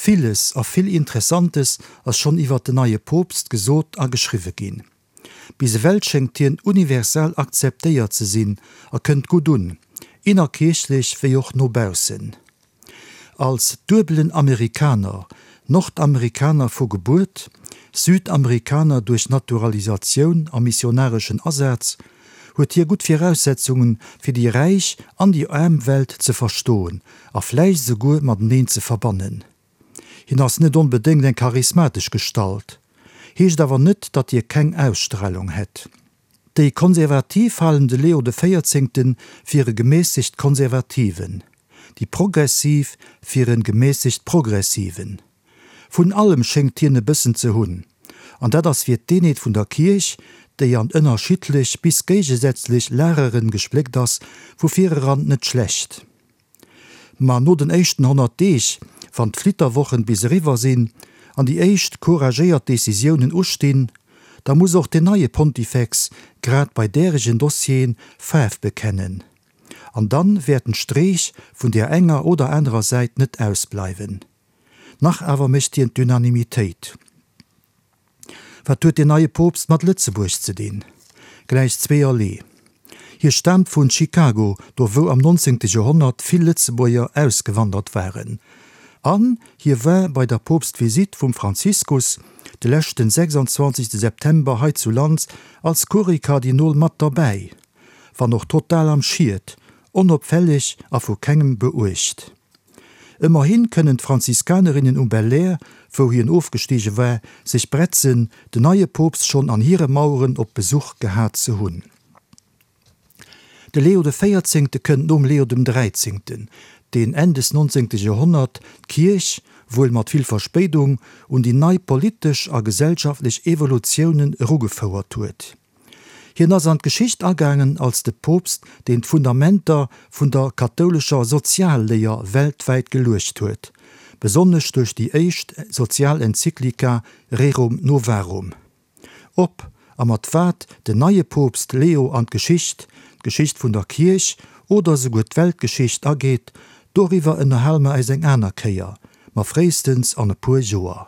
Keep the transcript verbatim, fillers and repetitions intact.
Villes a vill Interessantes ass schonn iwwer den neie Poopst gesot a geschriwwe ginn. Bis ewell schéngt hien universal akzeptéiert ze sinn a kënnt gutt un, innerkierchlech wéi och no baussen. Als duebelen Amerikaner, Nordamerikaner vu Gebuert, Südamerikaner duerch Naturalisatioun a missionareschen Asaz, huet hie gutt Viraussetzungen, fir déi räich an déi aarm Welt ze verstoen a vläicht esouguer mateneen ze verbannen. Hien ass net onbedéngt eng charismatesch Gestalt, heescht awer net, datt hie keng Ausstralung hätt. Déi Konservativ halen de Leo de Véierzéngte fir e gemässegt Konservativen, déi Progressiv fir e gemässegt Progressiven. Vun allem schéngt hien e bëssen ze hunn, an dat ass fir d'Eenheet vun der Kierch, déi an ënnerschiddlech bis géigesätzlech Lagere gespléckt ass, vu vireran net schlecht. Ma no den éischten honnert Deeg, wann d'Flitterwochen bis eriwwer sinn an déi éischt couragéiert Decisiounen ustinn, da muss och den neie Pontifex grad bei däregen Dossieren Faarf bekennen. An dann wäerten d'Streech vun där enger oder anerer Säit net ausbleiwen. Nach awer mécht hien d'Unanimitéit. Wat huet deen neie Poopst mat Lëtzebuerg ze dinn? Gläich zweeërlee. Hie staamt vun Chicago, do wou am nonzéngte Joerhonnert vill Lëtzebuerger ausgewandert waren. An hie war bei der Poopstvisitt vum Franziskus de leschten sechsandzwanzegste September hei zu Land als Kuriekardinol mat derbäi, wann och total am Schiet, onopfälleg a vu kengem beuecht. Ëmmerhi kënnen d'Franziskanerinnen um Belair, wou hien ofgestige war, sech bretzen, den neie Poopst schonn an hire Maueren op Besuch gehat ze hunn. De Leo de Véierzéngte kënnt nom Leo dem Dräizéngten, deen Enn des nonzéngte Joerhonnert d'Kierch, wuel mat vill Verspéidung, un déi nei politesch a gesellschaftlech Evolutiounen erugefouert huet. Hien ass an d'Geschicht agaangen als de Poopst, deen d'Fundamenter vun der kathoulescher Sozialléier weltwäit geluecht huet, besonnesch duerch déi éischt Sozialenzyklika Rerum Novarum. Ob a mat wat den neie Poopst Leo an d'Geschicht, d'Geschicht vun der Kierch oder souguer d'Weltgeschicht ageet, doriwwer ënnerhale mer äis eng aner Kéier, ma fréistens an e puer Joer.